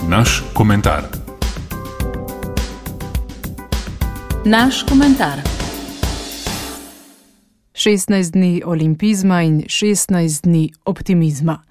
Naš komentar. Naš komentar. 16 dni olimpizma in 16 dni optimizma.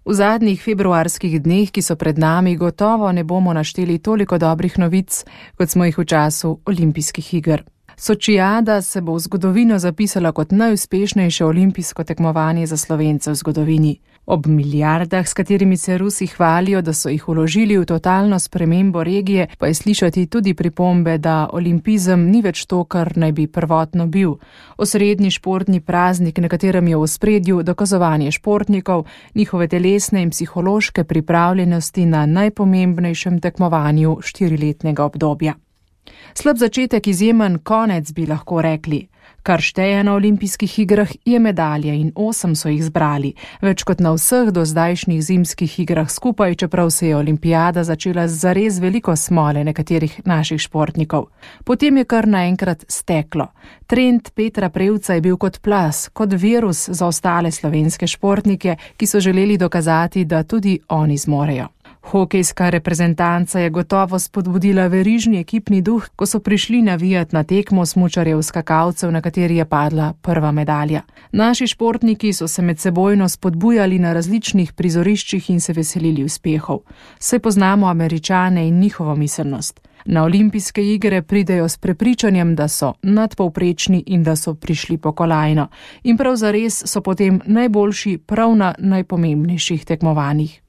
V zadnjih februarskih dneh, ki so pred nami, gotovo ne bomo našteli toliko dobrih novic, kot smo jih v času olimpijskih iger. Sočijada se bo v zgodovino zapisala kot najuspešnejše olimpijsko tekmovanje za Slovence v zgodovini. Ob milijardah, s katerimi se Rusi hvalijo, da so jih vložili v totalno spremembo regije, pa je slišati tudi pripombe, da olimpizem ni več to, kar naj bi prvotno bil. Osrednji športni praznik, na katerem je v ospredju dokazovanje športnikov, njihove telesne in psihološke pripravljenosti na najpomembnejšem tekmovanju 4-letnega obdobja. Slab začetek, izjemen konec, bi lahko rekli. Kar šteje na olimpijskih igrah je medalje in 8 so jih zbrali, več kot na vseh do zdajšnjih zimskih igrah skupaj, čeprav se je olimpijada začela z zares veliko smole nekaterih naših športnikov. Potem je kar naenkrat steklo. Trend Petra Prevca je bil kot plaz, kot virus za ostale slovenske športnike, ki so želeli dokazati, da tudi oni zmorejo. Hokejska reprezentanca je gotovo spodbudila verižni ekipni duh, ko so prišli navijat na tekmo smučarjev skakalcev, na kateri je padla prva medalja. Naši športniki so se medsebojno spodbujali na različnih prizoriščih in se veselili uspehov. Saj poznamo Američane in njihovo miselnost. Na olimpijske igre pridejo s prepričanjem, da so nadpovprečni in da so prišli po kolajno. In prav zares so potem najboljši prav na najpomembnejših tekmovanjih.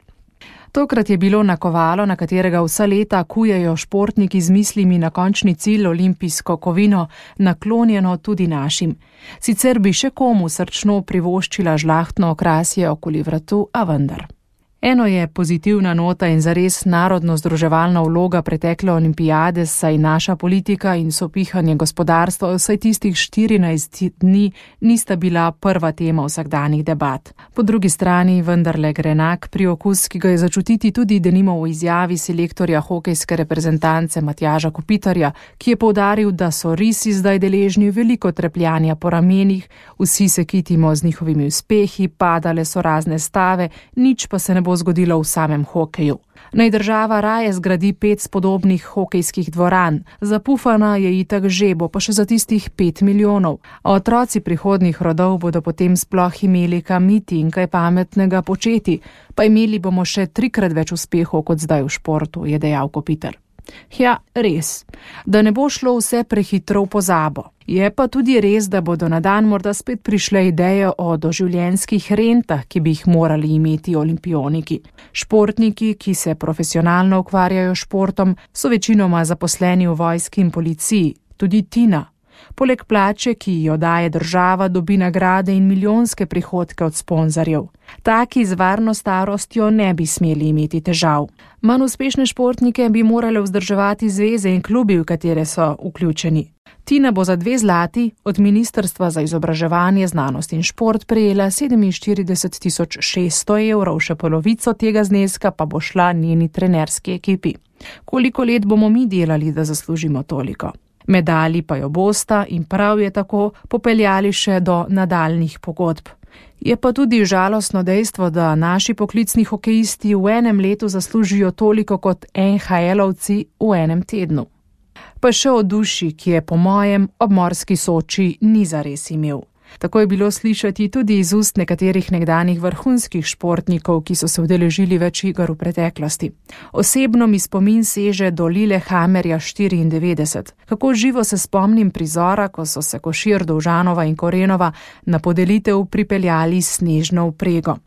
Tokrat je bilo nakovalo, na katerega vsa leta kujejo športniki z mislimi na končni cilj olimpijsko kovino, naklonjeno tudi našim. Sicer bi še komu srčno privoščila žlahtno okrasje okoli vratu, a vendar. Eno je pozitivna nota in zares narodno združevalna vloga pretekle olimpijade, saj naša politika in sopihanje gospodarstva vsaj tistih 14 dni nista bila prva tema vsakdanjih debat. Po drugi strani vendarle grenak priokus, ki ga je začutiti tudi denimo v izjavi selektorja hokejske reprezentance Matjaža Kopitarja, ki je poudaril, da so risi zdaj deležni veliko trepljanja po ramenih, vsi se kitimo z njihovimi uspehi, padale so razne stave, nič pa se ne bo zgodilo v samem hokeju. Naj država raje zgradi 5 spodobnih hokejskih dvoran, zapufana je itak že, bo pa še za tistih 5 milijonov. A otroci prihodnjih rodov bodo potem sploh imeli kam iti in kaj pametnega početi, pa imeli bomo še 3-krat več uspehov kot zdaj v športu, je dejal Kopitar. Ja, res, da ne bo šlo vse prehitro v pozabo. Je pa tudi res, da bodo na dan morda spet prišle ideje o doživljenjskih rentah, ki bi jih morali imeti olimpioniki. Športniki, ki se profesionalno ukvarjajo športom, so večinoma zaposleni v vojski in policiji, tudi Tina. Poleg plače, ki jo daje država, dobi nagrade in milijonske prihodke od sponzorjev. Taki z varno starostjo ne bi smeli imeti težav. Manj uspešne športnike bi morale vzdrževati zveze in klubi, v katere so vključeni. Tina bo za 2 zlati od Ministrstva za izobraževanje, znanost in šport prejela 47.600 evrov, še polovico tega zneska pa bo šla njeni trenerski ekipi. Koliko let bomo mi delali, da zaslužimo toliko? Medalji pa jo bosta in prav je tako popeljali še do nadaljnih pogodb. Je pa tudi žalostno dejstvo, da naši poklicni hokejisti v enem letu zaslužijo toliko kot NHL-ovci v enem tednu. Pa še o duši, ki je po mojem ob morski Soči ni zares imel. Tako je bilo slišati tudi iz ust nekaterih nekdanjih vrhunskih športnikov, ki so se udeležili več iger v preteklosti. Osebno mi spomin seže do Lillehammerja 94. Kako živo se spomnim prizora, ko so se Košir, Dovžanova in Korenova na podelitev pripeljali s snežno vprego.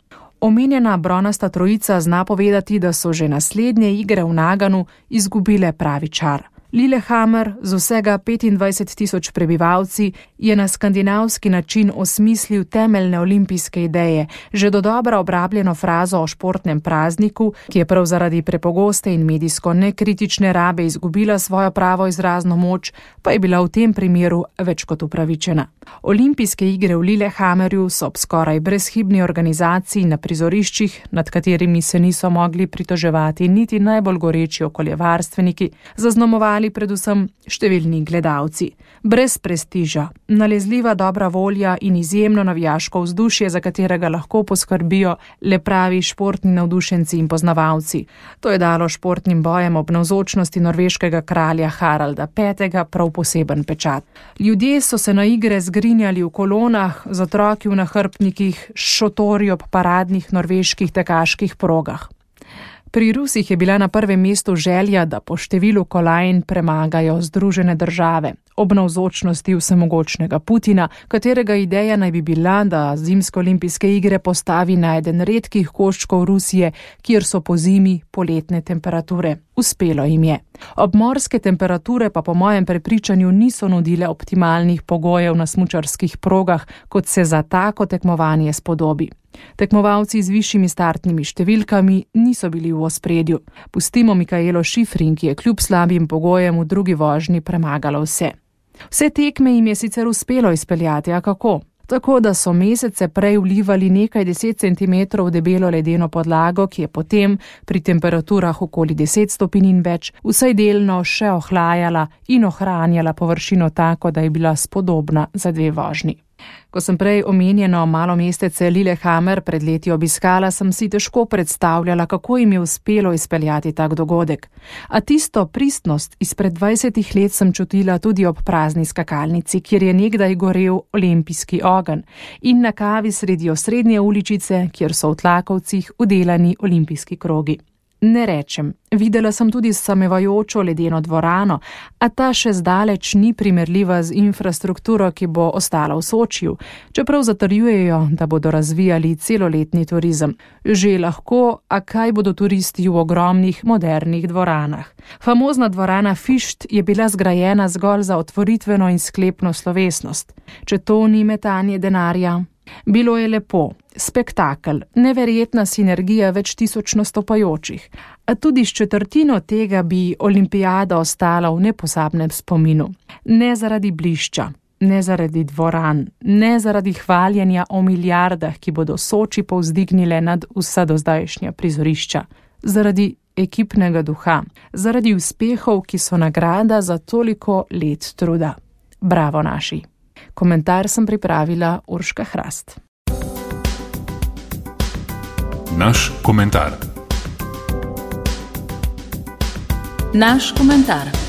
Omenjena bronasta trojica zna povedati, da so že naslednje igre v Naganu izgubile pravi čar. Lillehammer z vsega 25.000 prebivalci je na skandinavski način osmislil temeljne olimpijske ideje, že dodobra obrabljeno frazo o športnem prazniku, ki je prav zaradi prepogoste in medijsko nekritične rabe izgubila svojo pravo izrazno moč, pa je bila v tem primeru več kot upravičena. Olimpijske igre v Lillehammerju so ob skoraj brezhibni organizaciji na prizoriščih, nad katerimi se niso mogli pritoževati niti najbolj goreči okoljevarstveniki, zaznamovali ostali predvsem številni gledalci. Brez prestiža, nalezljiva dobra volja in izjemno navijaško vzdušje, za katerega lahko poskrbijo le pravi športni navdušenci in poznavalci. To je dalo športnim bojem ob navzočnosti norveškega kralja Haralda V. prav poseben pečat. Ljudje so se na igre zgrinjali v kolonah, z otroki v nahrbtnikih, s šotori ob paradnih norveških tekaških progah. Pri Rusih je bila na prvem mestu želja, da po številu kolajn premagajo Združene države, ob navzočnosti vsemogočnega Putina, katerega ideja naj bi bila, da zimske olimpijske igre postavi na eden redkih koščkov Rusije, kjer so po zimi poletne temperature. Uspelo jim je. Obmorske temperature pa po mojem prepričanju niso nudile optimalnih pogojev na smučarskih progah, kot se za tako tekmovanje spodobi. Tekmovalci z višjimi startnimi številkami niso bili v ospredju. Pustimo Mikaelo Šifrin, ki je kljub slabim pogojem v drugi vožnji premagala vse. Vse tekme jim je sicer uspelo izpeljati, a kako? Tako da so mesece prej vlivali nekaj 10 centimetrov debelo ledeno podlago, ki je potem pri temperaturah okoli 10 stopinj in več vsaj delno še ohlajala in ohranjala površino tako, da je bila spodobna za dve vožnji. Ko sem prej omenjeno malo mestece Lillehammer pred leti obiskala, sem si težko predstavljala, kako jim je uspelo izpeljati tak dogodek. A tisto pristnost izpred 20 let sem čutila tudi ob prazni skakalnici, kjer je nekdaj gorel olimpijski ogenj, in na kavi sredi osrednje uličice, kjer so v tlakovcih udelani olimpijski krogi. Ne rečem, videla sem tudi samevajočo ledeno dvorano, a ta še zdaleč ni primerljiva z infrastrukturo, ki bo ostala v Sočiju, čeprav zatrjujejo, da bodo razvijali celoletni turizem. Že lahko, a kaj bodo turisti v ogromnih modernih dvoranah? Famozna dvorana Fišt je bila zgrajena zgolj za otvoritveno in sklepno slovesnost. Če to ni metanje denarja? Bilo je lepo, spektakel, neverjetna sinergija več tisoč nastopajočih, a tudi s četrtino tega bi olimpijada ostala v nepozabnem spominu. Ne zaradi blišča, ne zaradi dvoran, ne zaradi hvaljenja o milijardah, ki bodo Soči povzdignile nad vsa dozdajšnja prizorišča, zaradi ekipnega duha, zaradi uspehov, ki so nagrada za toliko let truda. Bravo naši! Komentar sem pripravila Urška Hrast. Naš komentar.